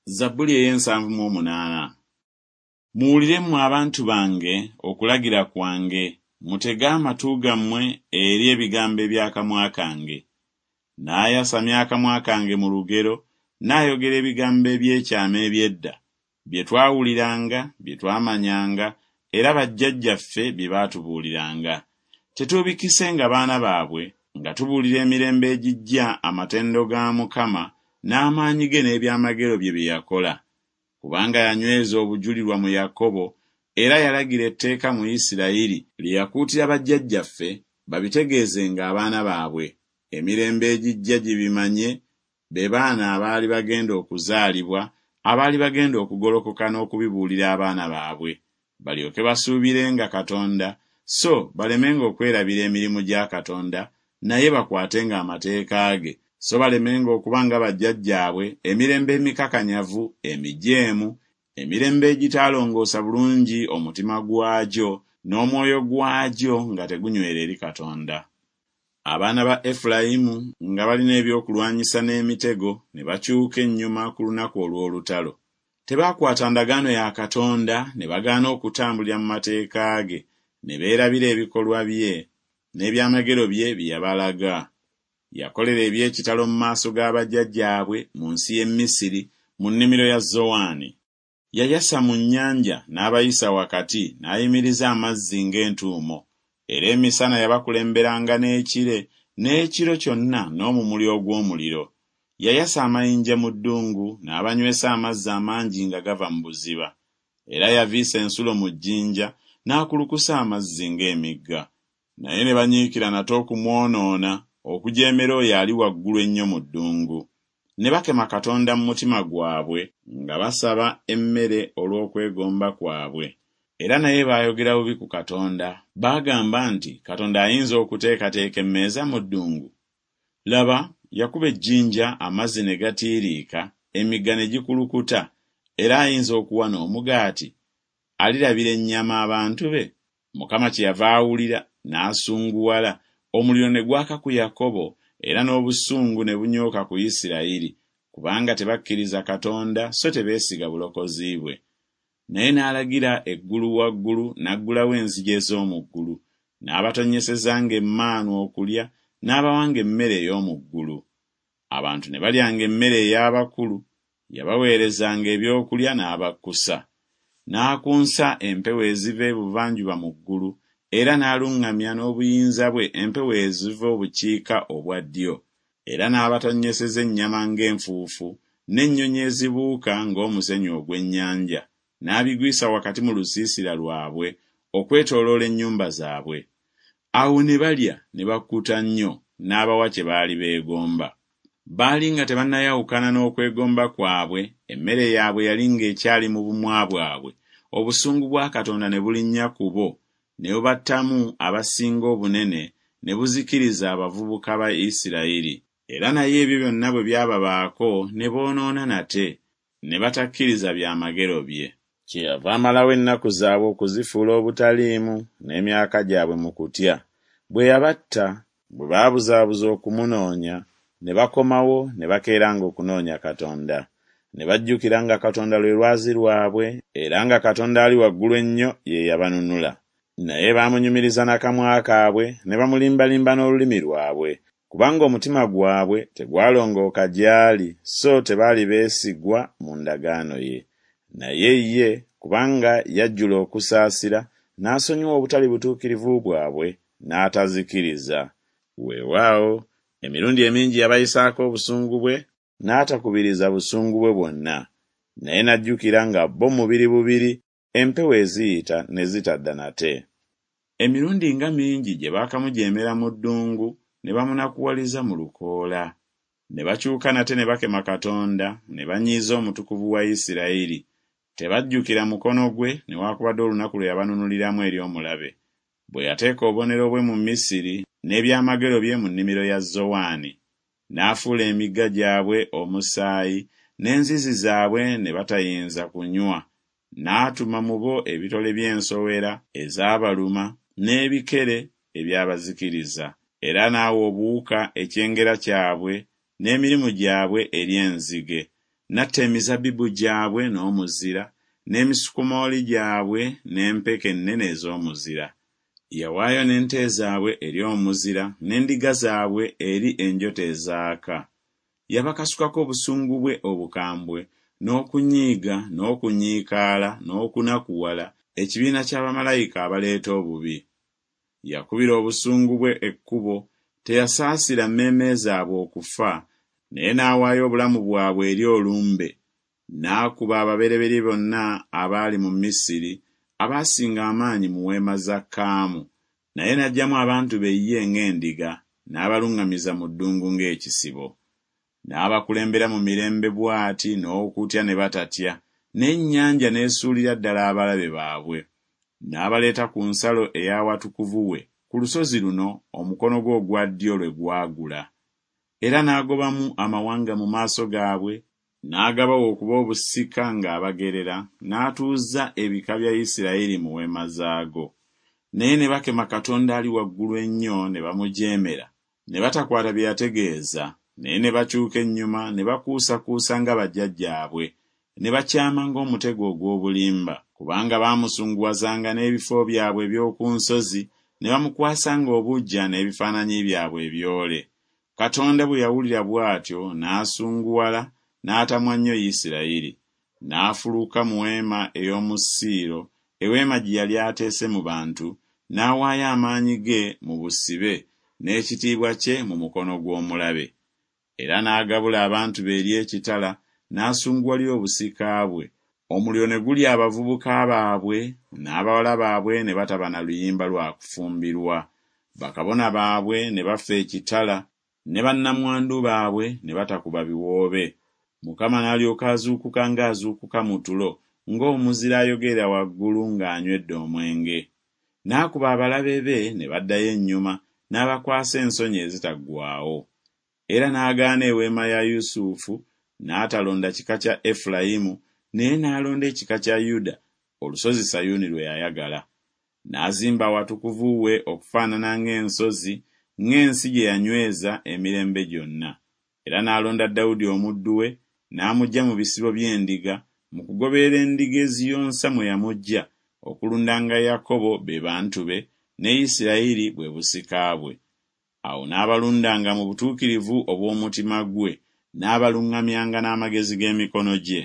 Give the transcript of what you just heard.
Zabbuli ey'ensanvu mu omunaana. Muwulire mmwe abantu bange okulagira kwange, mutege amatu gammwe eri ebigambo eby'akamwa kange. Naayasamya akamwa kange mu lugero, nnaayogera ebigambo eby'ekyama eby'edda, bye twawuliranga, bye twamanyanga, era bajjajjaffe bye baatubuuliranga. Tetuubikisenga baana baabwe, nga tubuulira emirembe egijja amatendo ga Mukama n'amaanyi ge n'ebyamagero bye bye yakola. Kubanga yanyweza obujulirwa mu Yakobo, era yalagira etteeka mu Isirayiri, lye yakuutira bajjajjaffe babitegeezenga abaana baabwe, emirembe egijja gibimanye, be baana abaali bagenda okuzaalibwa, abaali bagenda okugolokoka n'okubibuulira abaana baabwe, balyoke basuubirenga Katonda, so balemenga okwerabira emirimu gya Katonda, naye bakwatenga amateeka ge, so balemenga okuba nga bajjajjaabwe, emirembe emikakanyavu, emijeemu, emirembe egitaalongoosa bulungi omutima gwagyo n'omwoyo gwagyo nga tegunywera eri Katonda. Abaana ba Efulayimu nga balina ebyokulwanyisa n'emitego ne bakyuka ennyuma ku lunaku olw'olutalo. Tebaakwata ndagaano ya Katonda ne bagaana okutambulira mu mateeka ge, ne beerabira ebikolwa bye n'ebyamagero bye bye yabalaga. Yakolera eby'ekitalo mu maaso ga bajjajjaabwe mu nsi y'e Misiri mu nnimiro ya Zowaani. Yayasa mu nnyanja n'abayisa wakati, n'ayimiriza amazzi ng'entuumo. Era emisana yabakulemberanga n'ekire, n'ekiro kyonna n'omumuli ogw'omuliro. Yayasa amayinja mu ddungu, n'abanywesa amazzi amangi nga gava mu buziba. Era yaviisa ensulo mu jjinja, n'akulukusa amazzi ng'emigga. Naye ne banyiikira nate okumwonoona, okujeemera oyo Ali Waggulu Ennyo mu ddungu. Ne bakema Katonda mu mutima gwabwe nga basaba emmere olw'okwegomba kwabwe. Era naye baayogera bubi ku Katonda, baagamba nti, Katonda ayinza okuteekateeka emmeeza mu ddungu? Laba, yakuba ejjinja, amazzi ne gatiiriika, emigga ne gikulukuta, era ayinza okuwa n'omugaati? Alirabira ennyama abantu be? Mukama kyeyava awulira, n'asunguwala, omuliro ne gwaka ku Yakobo, era n'obusungu ne bunyooka ku Isirayiri, kubanga tebakkiriza Katonda so tebeesiga bulokozi bwe. Naye n'alagira eggulu waggulu, n'aggulawo enzigi ez'omu ggulu, n'abatonnyesezanga emmaanu okulya, n'abawanga emmere ey'omu ggulu. Abantu ne balyanga emmere ey'abakulu, yabaweerezanga ebyokulya n'abakkusa. N'akunsa empewo eziva ebuvanjuba mu ggulu, era n'aluŋŋamya n'obuyinza bwe empewo eziva obukiika obwa ddyo. Era n'abatonnyeseza ennyama ng'enfuufu, n'ennyonyi ezibuuka ng'omusenyu ogw'ennyanja, n'abigwisa wakati mu lusiisira lwabwe, okwetooloola ennyumba zaabwe. Awo ne balya ne bakkuta nnyo, n'abawa kye baali beegomba. Baali nga tebannayawukana n'okwegomba kwabwe, emmere yaabwe yali ng'ekyali mu bumwa bwabwe, obusungu bwa Katonda ne bulinnya ku bo, ne bubattamu abasinga obunene, ne buzikiriza abavubuka ba Isirayiri. Era naye ebyo byonna bwe byababaako, ne boonoona nate, ne batakkiriza byamagero bye. Kyeyava amalawo ennaku zaabwe okuzifuula obutaliimu, n'emyaka gyabwe mu kutya. Bwe yabatta, bwe baabuzaabuza okumunoonya, ne bakomawo ne bakeeranga okunoonya Katonda. Ne bajjukira nga Katonda lwe lwazi lwabwe, era nga Katonda Ali Waggulu Ennyo ye yabanunula. Naye baamunyumiriza na kamwa kaabwe, ne bamulimbalimba n'olulimi lwabwe, kubanga omutima gwabwe tegwalongooka gy'ali, so tebaali beesigwa mu ndagaano ye. Naye ye, kubanga yajjula okusaasira, n'asonyiwa obutali butuukirivu bwabwe, n'atazikiriza. Weewaawo, emirundi emingi yabayisaako obusungu bwe, n'atakubiriza busungu bwe bwonna. Naye n'ajjukira nga bo mubiri bubiri, empewo eziyita ne zitadda nate. Emirundi nga mingi gye baakamujeemera mu ddungu, ne bamunakuwaliza mu lukoola! Ne bakyuka nate ne bakema Katonda, ne banyiiza Omutukuvu wa Isirayiri. Tebajjukira mukono gwe, newakubadde olunaku lwe yabanunuliramu eri omulabe, bwe yateeka obubonero bwe mu Misiri, n'ebyamagero bye mu nnimiro ya Zowaani. N'afuula emigga gyabwe omusaayi, n'enzizi zaabwe ne batayinza kunywa. N'atuma mu bo ebitole by'ensowera ezaabaluma, n'ebikere ebyabazikiriza. Era n'awa obuwuka ekyengera kyabwe, n'emirimu gyabwe eri enzige. N'atta emizabbibu gyabwe n'omuzira, n'emisukomooli gyabwe n'empeke ennene ez'omuzira. Yawaayo n'ente zaabwe eri omuzira, n'endiga zaabwe eri enjota ezaaka. Yabakasukako obusungu bwe obukambwe, n'okunyiiga, n'okunyiikaala, n'okunakuwala, ekibiina kya bamalayika abaleeta obubi. Yakubira obusungu bwe ekkubo, teyasaasira mmeeme zaabwe okufa, naye n'awaayo obulamu bwabwe eri olumbe, n'akuba ababereberye bonna abaali mu Misiri, abaasinga amaanyi mu weema za Kaamu. Naye n'aggyamu abantu be ye ng'endiga, n'abaluŋŋamiza mu ddungu ng'ekisibo. N'abakulembera mu mirembe bw'ati n'okutya ne batatya, n'ennyanja n'esuulira ddala abalabe baabwe. N'abaleeta ku nsalo ey'awatukuvu we, ku lusozi luno omukono gwe ogwa ddyo lwe gwagula. Era n'agobamu amawanga mu maaso gaabwe, n'agabawa okuba obusika ng'abagerera, n'atuuza ebika bya Isiraeri mu weema zaago. Naye ne bakema Katonda Ali waggulu ennyo ne bamujeemera, ne batakwata bye yategeeza, naye ne bakyuka ennyuma ne bakuusakuusa nga bajjajjaabwe, ne bakyama ng'omutego ogw'obulimba. Kubanga baamusunguwazanga n'ebifo byabwe eby'oku nsozi, ne bamukwasanga obuggya n'ebifaananyi byabwe ebyole. Katonda bwe yawulira bw'atyo n'asunguwala, n'atamwa nnyo Isirayiri. N'afuluka mu weema ey'omu Siiro, eweema gye yali ateese mu bantu, n'awaayo amaanyi ge mu busibe, n'ekitiibwa kye mu mukono gw'omulabe. Era n'agabula abantu be eri ekitala, n'asunguwalira obusika bwe, omuliro ne gulya abavubuka baabwe, n'abawala baabwe ne bataba na luyimba lwa kufumbirwa, bakabona baabwe ne bafa ekitala, ne bannamwandu baabwe ne batakuba biwoobe. Mukama n'alyoka azuukuka ng'azuukuka mu tulo, ng'omuzira ayogerera waggulu ng'anywedde omwenge. N'akuba abalabe be ne baddayo ennyuma, n'abakwasa ensonyi ezitaggwaawo. Era n'agaana eweema ya Yusufu, n'atalonda kika kya Efulayimu, naye n'alonda ekika kya Yuda, olusozi Sayuuni lwe yayagala. N'azimba awatukuvu we okufaanana ng'ensozi, ng'ensi gye yanyweza emirembe gyonna. Era n'alonda Dawudi omuddu we, n'amuggya mu bisibo by'endiga, mu kugoberera endiga eziyonsa mwe yamuggya, okulundanga Yakobo be bantu be, ne Isirayiri bwe busika bwe. Awo n'abalundanga mu butuukirivu obw'omutima gwe, n'abaluŋŋamyanga n'amagezi g'emikono gye.